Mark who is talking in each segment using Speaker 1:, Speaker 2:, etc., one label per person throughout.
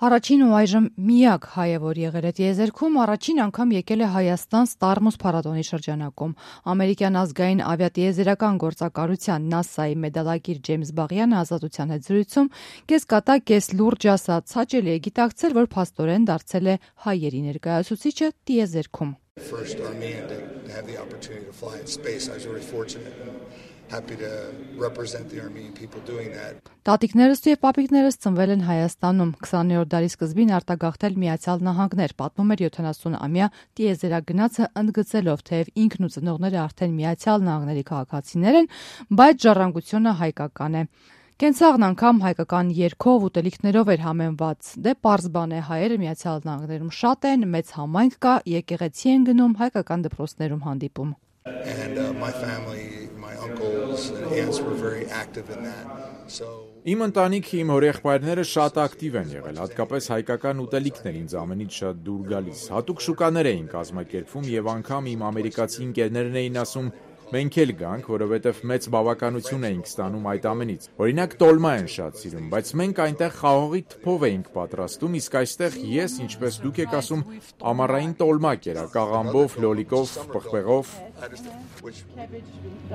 Speaker 1: Առաջին ու այժմ միակ հայը, որ եղել է տիեզերքում, առաջին անգամ եկել է Հայաստան Ստարմուս փառատոնի շրջանակում։ Ամերիկյան ազգային ավիատիեզերական գործակալության ՆԱՍԱ-ի մեդալակիր Ջեյմս Բաղյանը Ազատության հետ զրույցում կեսկատակ, կես լուրջ ասաց, հաճելի է գիտակցել, որ փաստորեն դարձել է հայերի ներկայացուցիչը տիեզերքում։
Speaker 2: Happy to represent the Armenian people doing that.
Speaker 1: Տատիկներս ու պապիկներս ծնվել են Հայաստանում, 20-րդ դարի սկզբին արտագաղթել Միացյալ Նահանգներ, պատմում էր 70-ամյա տիեզերագնացը ընդգծելով, թեև ինքն ու ծնողները արդեն Միացյալ Նահանգների քաղաքացիներ են, բայց ժառանգությունը հայկական է։ Կենցաղն անգամ հայկական երգով, ուտելիքներով էր համեմված։ Դե պարզ բան է, հայերը Միացյալ Նահանգներում շատ են, մեծ համայնք կա, եկեղեցի են գնում, հայկական դպրոցներում հանդիպում։
Speaker 2: And my family, my uncles and aunts were very active in that.
Speaker 3: Իմ ընտանիքը, իմ հորեղբայրները շատ ակտիվ են եղել, հատկապես հայկական ուտելիքներ ինձ ամենից շատ դուր գալիս։ Հատուկ շուկաներ էին կազմակերպվում եւ անգամ իմ ամերիկացի ընկերներն էին ասում, մենք էլ գանք, որովհետև մեծ բավականություն էինք ստանում այդ ամենից։ Օրինակ տոլմա են շատ սիրում, բայց մենք այնտեղ խաղողի թփով էինք պատրաստում, իսկ այստեղ ես, ինչպես դուք եք ասում, ամառային տոլմա կերակ, աղամբով, լոլիկով, պղպեղով։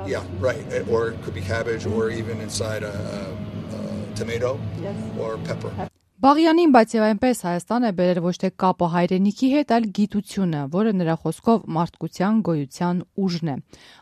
Speaker 2: Yeah, right. Or it could be cabbage or even inside a tomato or pepper.
Speaker 1: Բաղյանին, բայց եւ այնպես Հայաստան է բերել ոչ թե կապը հայրենիքի հետ, այլ գիտությունը, որը նրա խոսքով մարդկության գոյության ուժն է։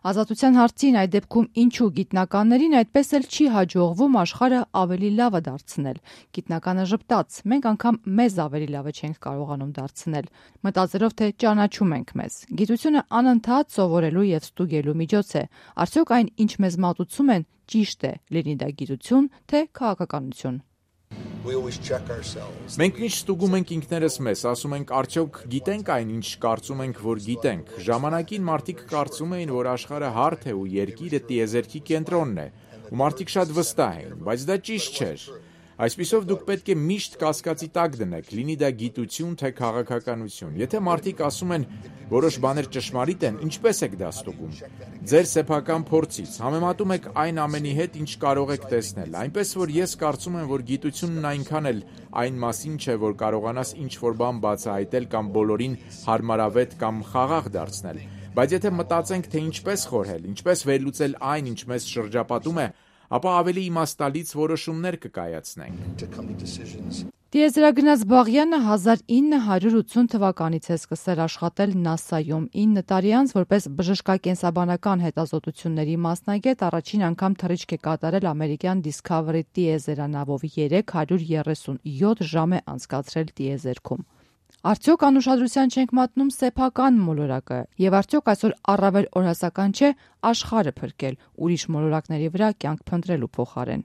Speaker 1: Ազատության հարցին այդ դեպքում ինչու գիտնականներին այդպես էլ չի հաջողվում աշխարհը ավելի լավը դարձնել։ Գիտնականը ժպտաց, մենք անգամ մեզ ավելի լավը չենք կարողանում դարձնել, մտածելով թե ճանաչում ենք մեզ։ Գիտությունը անընդհատ սովորելու եւ ստուգելու միջոց է։ Արդյոք այն, ինչ մեզ մատուցում են, ճիշտ է, լինի դա գիտություն, թե քաղաքականություն։
Speaker 3: Մենք միշտ ստուգում ենք ինքներս մեզ, ասում ենք արդյոք գիտենք այն, ինչ կարծում ենք, որ գիտենք։ Ժամանակին մարդիկ կարծում էին, որ աշխարհը հարթ է ու երկիրը տիեզերքի կենտրոնն է, ու մարդիկ շատ վստահ էին, բայց դա ճիշտ չէր։ Այսպիսով դուք պետք է միշտ կասկածի տակ դնեք, լինի դա գիտություն թե քաղաքականություն։ Եթե մարդիկ ասում են, որոշ բաներ ճշմարիտ են, ինչպես եք դա ստուգում։ Ձեր սեփական փորձից համեմատում եք այն ամենի հետ, ինչ կարող եք տեսնել։ Այնպես որ ես կարծում եմ, որ գիտությունն այնքան էլ այն մասին չէ, որ կարողանաս ինչ-որ բան բացահայտել կամ բոլորին հարմարավետ կամ խաղաղ դարձնել։ Բայց եթե մտածենք, թե ինչպես խորհել, ինչպես վերլուծել այն, ինչ մեզ շրջապատում է, ապա ավելի իմաստալից որոշումներ կկայացնենք։
Speaker 1: Տիեզերագնաց Բաղյանը 1980 թվականից է սկսել աշխատել ՆԱՍԱ-ում, 9 տարի անց որպես բժշկակենսաբանական հետազոտությունների մասնագետ առաջին անգամ թռիչք է կատարել ամերիկյան Discovery տիեզերանավով 337 ժամ է անցկացրել տիեզերքում։ Արդյոք անուշադրության չենք մատնում սեփական մոլորակը, եւ արդյոք այսօր առավել օրհասական չէ աշխարհը փրկել ուրիշ մոլորակների վրա կյանք փնտրելու փոխարեն։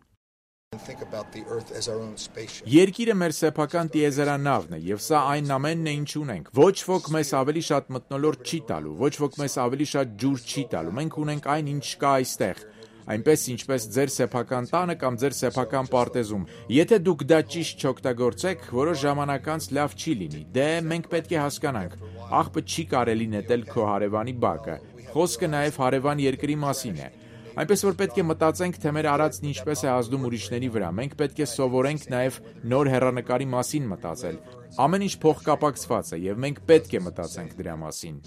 Speaker 3: Երկիրը մեր սեփական տիեզերանավն է, եւ սա այն ամենն է, ինչ ունենք։ Ոչ ոք մեզ ավելի շատ մթնոլորտ չի տալու, ոչ ոք մեզ ավելի շատ ջուր չի տալու։ Մենք ունենք այն, ինչ կա այստեղ։ Այնպես ինչպես ձեր սեփական տանը կամ ձեր սեփական պարտեզում։ Եթե դուք դա ճիշտ չօգտագործեք, որոշ ժամանակ անց լավ չի լինի։ Դե մենք պետք է հասկանանք, աղբը չի կարելի նետել քո հարևանի բակը։ Խոսքը նաև հարևան երկրի մասին է։ Այնպես որ պետք է մտածենք, թե մեր արածն ինչպես է ազդում ուրիշների վրա։ Մենք պետք է սովորենք նաև նոր հեռանկարի մասին մտածել։ Ամեն ինչ փոխկապակցված է եւ մենք պետք է մտածենք դրա մասին։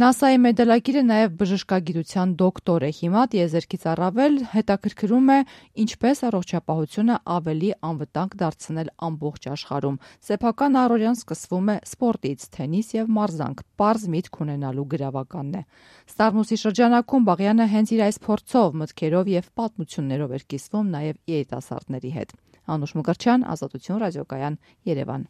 Speaker 1: ՆԱՍԱ-ի մեդալակիրը նաև բժշկագիտության դոկտոր է։ Հիմա տիեզերքից առավել հետաքրքրում է ինչպես առողջապահությունը ավելի անվտանգ դարձնել ամբողջ աշխարհում։ Սեփական առօրյան սկսվում է սպորտից, թենիս եւ մարզանք, պարզ միտք ունենալու գրավականն է։ Ստարմուսի շրջանակում Բաղյանը հենց իր այս փորձով, մտքերով եւ պատմություններով էր կիսվում նաև երիտասարդների հետ։ Անուշ Մկրտչյան, Ազատություն ռադիոկայան, Երևան։